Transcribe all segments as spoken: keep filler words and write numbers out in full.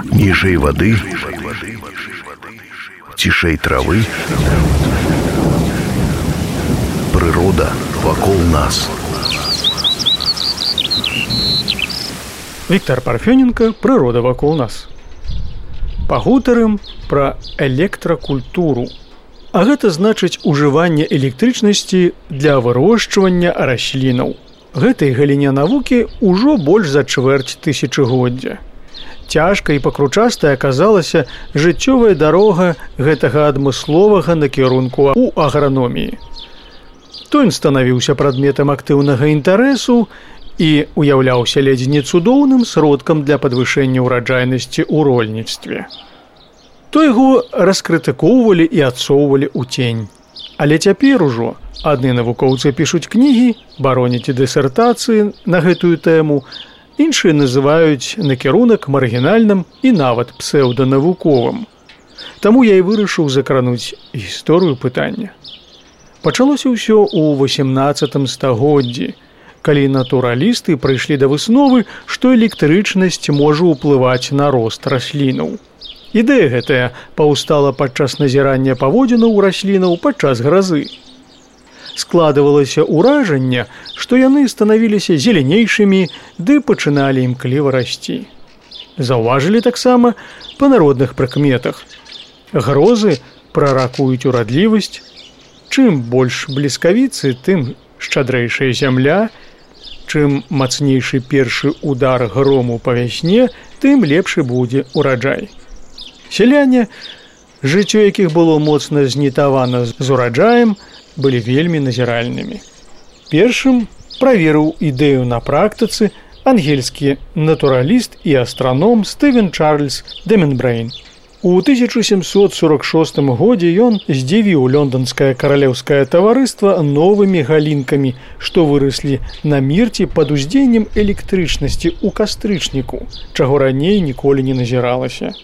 Ніжэй вады, цішэй травы, прырода вакол нас. Віктор Парфёненко, «Прырода вакол нас». Пагутарым пра электракультуру. А гэта значыць ужыванне электрычнасці для вырошчвання раслінаў. Гэтай галіне навукі ўжо больш за чвэрць тысячагоддзя. Цяжка і пакручастая аказалася жыццёвая дарога гэтага адмысловага накірунку ў аграноміі. То ён станавіўся прадметам актыўнага інтарэсу і уяўляўся ледзь не цудоўным сродкам для падвышэння ўраджайнасці ў рольніцтве. То яго раскрытыкоўвалі і адсоўвалі ў цень. Але цяпер ужо адны навукоўцы пішуць кнігі, бароняць дысертацыі на гэтую тэму, іншыя называюць накірунак маргінальным і нават псеўданавуковым. Таму я і вырашыў закрануць гісторыю пытання. Пачалося ўсё ў васемнаццатым стагоддзі, калі натуралісты прыйшлі да высновы, што электрычнасць можа ўплываць на рост раслінаў. Ідэя гэтая паўстала падчас назірання паводзінаў раслінаў падчас гразы. Складывалася ўражанне, што яны станавіліся зеленейшымі ды пачыналі імкліва расці. Заўважылі таксама па народных прыкметах. Грозы праракуюць урадлівасць. Чым больш бліскавіцы, тым шчадрэйшая зямля. Чым мацнейшы першы удар грому па вясне, тым лепшы будзе ўраджай. Сяляне, жыццё якіх было моцна знітавана з ураджаем, былі вельмі назіральнымі. Першым праверыў ідэю на практыцы ангельскі натураліст і астраном Стывен Чарльз Деменбрэйн. У тысяча сямсот сорок шостым годзе ён здзівіў лонданскае каралеўскае таварыства новымі галінкамі, што выраслі на мірці пад уздзеяннем электрычнасці ў кастрычніку, чаго раней ніколі не назіралася.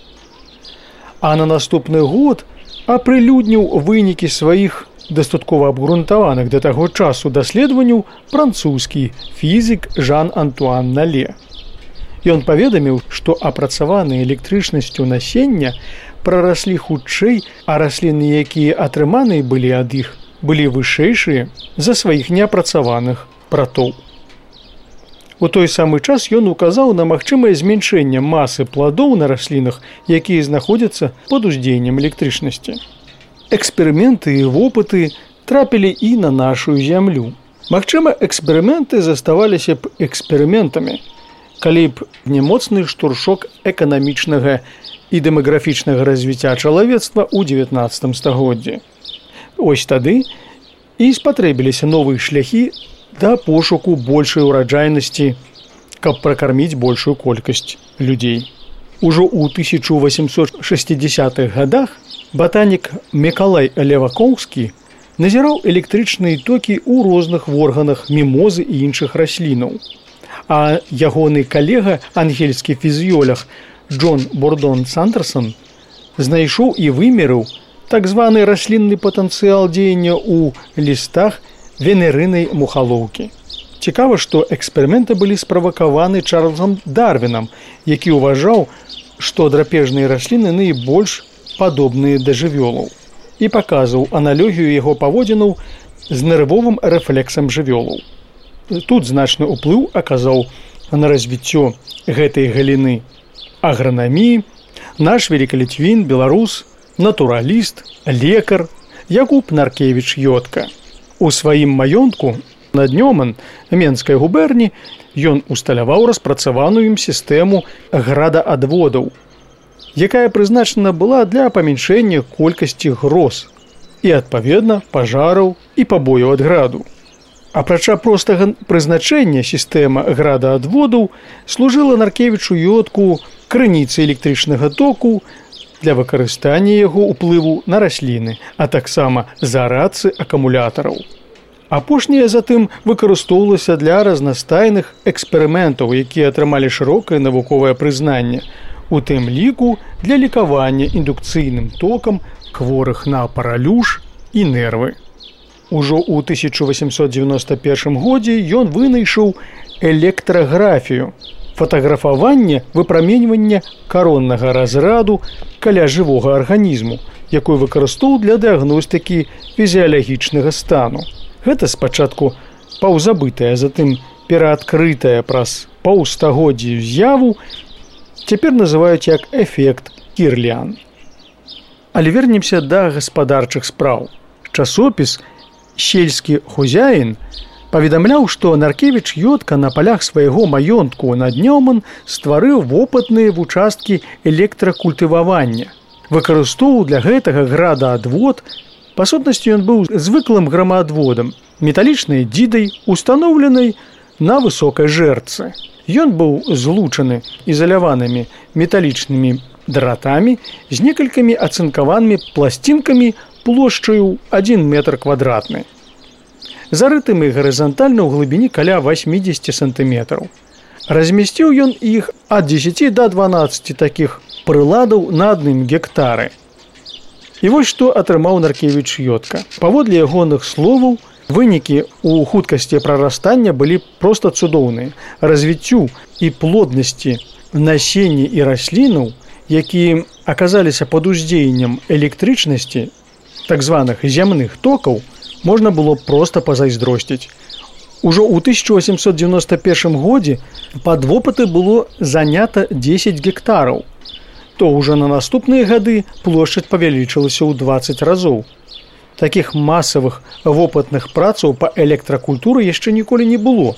А на наступны год апрылюдніў вынікі сваіх дастаткова абгрунтаваных да таго часу даследаванняў французскі фізік Жан-Антуан Нале. Ён паведаміў, што апрацаваныя электрычнасцю насення прараслі хутчэй, а расліны, якія атрыманыя былі ад іх, былі вышэйшыя за сваіх неапрацаваных братоў. У той самы час ён указаў на магчымае змяншэнне масы пладоў на раслінах, якія знаходзяцца пад уздзеяннем электрычнасці. Эксперыменты і вопыты трапілі і на нашу зямлю. Магчыма, эксперыменты заставаліся б эксперыментамі, калі б не моцны штуршок эканамічнага і дэмаграфічнага развіцця чалавецтва ў дзевятнаццатым стагоддзі. Ось тады і спатрэбіліся новыя шляхі да пошуку большай ураджайнасці, каб пракарміць большую колькасць людзей. Ужо ў тысяча восемьсот шестидесятых гадах батанік Мікалай Левакоўскі назіраў электрычныя токі ў розных органах мімозы і іншых раслінаў. А ягоны калега, ангельскі фізіолог Джон Бордон Сандерсон, знайшоў і вымерыў так званы раслінны патэнцыял дзеяння ў лістах венерынай мухалоўкі. Цікава, што эксперыменты былі справакаваны Чарльзам Дарвінам, які ўважаў, што драпежныя расліны найбольш падобныя да жывёлаў, і паказваў аналогію яго паводзінаў з нервовым рэфлексам жывёлаў. Тут значны ўплыў аказаў на развіццё гэтай галіны агранаміі наш великалітвін, беларус, натураліст, лекар Якуб Наркевіч-Йодка. У сваім маёнтку на Днёман Менскай губерні ён усталяваў распрацаваную ім сістэму градаадводаў, якая прызначана была для памяншэння колькасці гроз і, адпаведна, пажараў і пабояў ад граду. Апрача простага прызначэння сістэма градаадводаў служыла Наркевічу-Йодку крыніцай электрычнага току для выкарыстання яго ўплыву на расліны, а таксама зарадцы акумулятараў. Апошняе затым выкарыстоўвалася для разнастайных эксперыментаў, якія атрымалі шырокае навуковае прызнанне, у тым ліку для лікавання індукцыйным токам хворых на паралюш і нервы. Ужо ў тысяча восемьсот девяносто первым годзе ён вынайшоў электраграфію, фатаграфаванне выпраменьвання кароннага разраду каля жывога арганізму, якой выкарыстоўваў для дыягностыкі фізіялагічнага стану. Гэта спачатку паўзабытая, затым пераадкрытая праз паўстагоддзі з'яву, цяпер называюць як эфект Кірліан. Але вернемся да гаспадарчых спраў. Часопіс «Сельскі хозяін» паведамляў, што Наркевіч Йодка на палях свайго маёнтку над Нёман стварыў вопытныя вучасткі электракультывавання. Выкарыстоўваў для гэтага градаадвод. Па сутнасці ён быў звыклым грамаадводам, металічнай дзідай, устаноўленай на высокай жэрцы. Ён быў злучаны ізаляванымі металічнымі дратамі з некалькімі ацынкаванымі пласцінкамі плошчаю адзін метр квадратны. Зарытымі гарызантальна ў глыбіні каля васьмідзесят сантыметраў. Размясціў ён іх ад дзесяці да дванаццаці такіх прыладаў на адным гектары. І вось што атрымаў Наркевіч Йодка. Паводле ягоных словаў, вынікі ў хуткасці прарастання былі проста цудоўныя. Развіццю і плоднасці насення і раслінаў, якія аказаліся пад уздзеяннем электрычнасці, так званых зямных токаў, можна было проста пазайздросціць. Ужо ў тысяча восемьсот девяносто первом годзе пад вопыты было занята дзесяць гектараў. То ўжо на наступныя гады плошчаць павялічылася ў дваццаць разоў. Такіх масавых вопытных працаў па электракультуры яшчэ ніколі не было.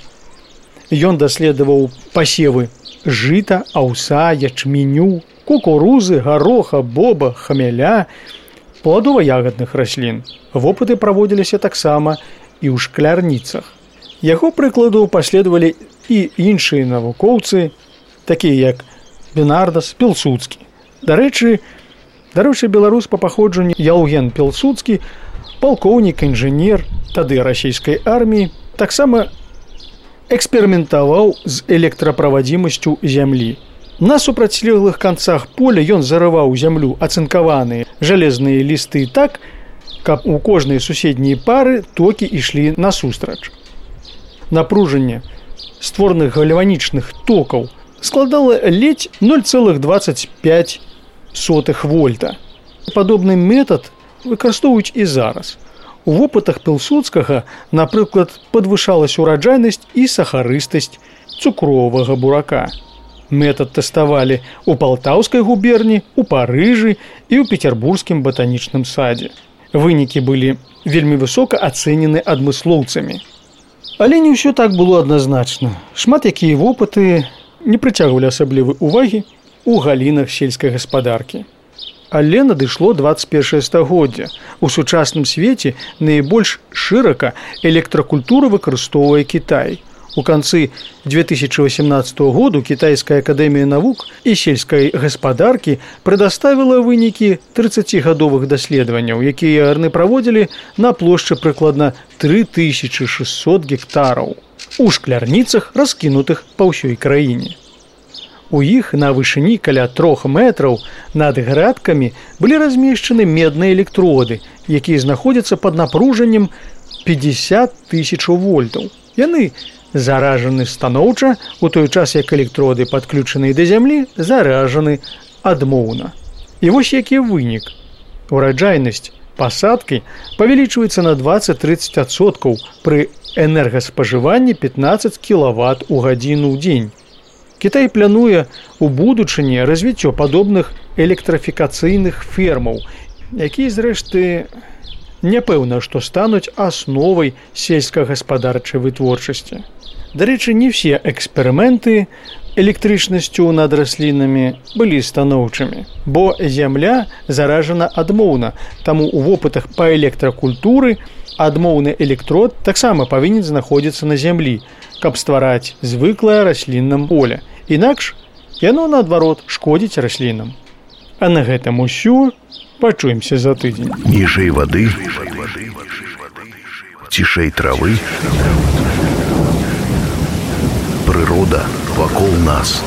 Ён даследаваў пасевы жыта, аўса, ячменю, кукурузы, гароха, боба, хмеля, пладова-ягадных раслін. Вопыты праводзіліся таксама і ў шклярніцах. Яго прыкладу паследавалі і іншыя навукоўцы, такія як Бенардас, Пілсудскі. Дарэчы, дарэчы, беларус па паходжанню Яўген Пілсудскі, палкоўнік, інжынер тады расійскай арміі, таксама эксперыментаваў з электраправадзімасцю зямлі. На супрацьлеглых канцах поля ён зарываў зямлю ацынкаваныя жалезныя лісты так, каб у кожнай суседняй пары токі ішлі насустрач. Напружанне створаных гальванічных токаў складала ледзь ноль цэлых дваццаць пяць сотых вольта. Падобны метад выкарыстоўваюць і зараз. У вопытах Пілсудскага, напрыклад, падвышалась ураджайнасць і сахарыстасць цукровага бурака. Метад тэставалі ў Палтаўскай губерні, у Парыжы і ў Петербургскім батанічным садзе. Вынікі былі вельмі высока ацэнены адмыслоўцамі. Але не ўсё так было адназначна. Шмат якія вопыты не прыцягвалі асаблівай увагі ў галінах сельскай гаспадаркі. Але надышло дваццаць першае стагоддзе. У сучасным свеце найбольш шырака электракультуру выкарыстоўвае Кітай. У канцы две тысячи восемнадцатого году Китайская академия наук и сельской гаспадаркі предоставила вынікі тридцатигадовых даследаванняў, якія яны праводзілі на плошчы прыкладна три тысячи шестьсот гектараў у шклярніцах, раскінутых па ўсёй краіне. У іх на вышыні каля трох метраў над градкамі былі размешчаны медныя электроды, якія знаходзяцца пад напружаннем пятьдесят тысяч вольтаў. Яны заражаны станоўча, у той час як электроды, падключаныя да зямлі, заражаны адмоўна. І вось які вынік. Ураджайнасць пасадкі павялічваецца на двадцать-тридцать адсоткаў пры энергаспажыванні пятнадцать кілават у гадзіну ў дзень. Кітай плануе ў будучыні развіццё падобных электрафікацыйных фермаў, якія, зрэшты, няпэўна, што стануць асновай сельскагаспадарчай вытворчасці. Дарэчы, не ўсе эксперыменты электрычнасцю над раслінамі былі станоўчымі, бо зямля заражана адмоўна, таму ў вопытах па электракультуры адмоўны электрод таксама павінен знаходзіцца на зямлі, каб ствараць звыклае расліннам поле. Інакш яно, наадварот, шкодзіць раслінам. А на гэтым усё. Пачуемся за тыдзень. Ніжэй вады, цішэй травы, прырода вакол нас.